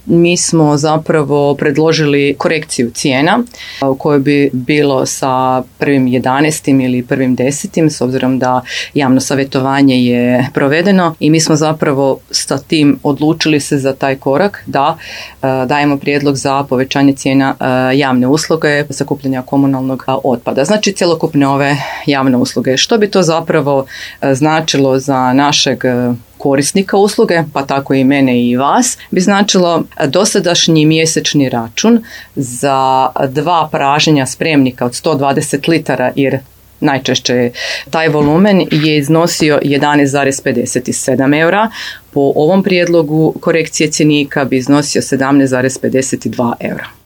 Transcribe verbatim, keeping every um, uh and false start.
mi smo zapravo predložili korekciju cijena u kojoj bi bilo sa prvim jedanaestim ili prvim desetim s obzirom da javno savjetovanje je provedeno i mi smo zapravo sa tim odlučili se za taj korak da dajemo prijedlog za povećanje cijena javne usluge sakupljanja komunalnog otpada. Znači cjelokupne ove javne usluge. Što bi to zapravo značilo za našeg korisnika usluge, pa tako i mene i vas, bi značilo dosadašnji mjesečni račun za dva pražnjenja spremnika od sto dvadeset litara, jer najčešće taj volumen je iznosio jedanaest zarez pedeset sedam eura. Po ovom prijedlogu korekcije cjenika bi iznosio sedamnaest zarez pedeset dva eura.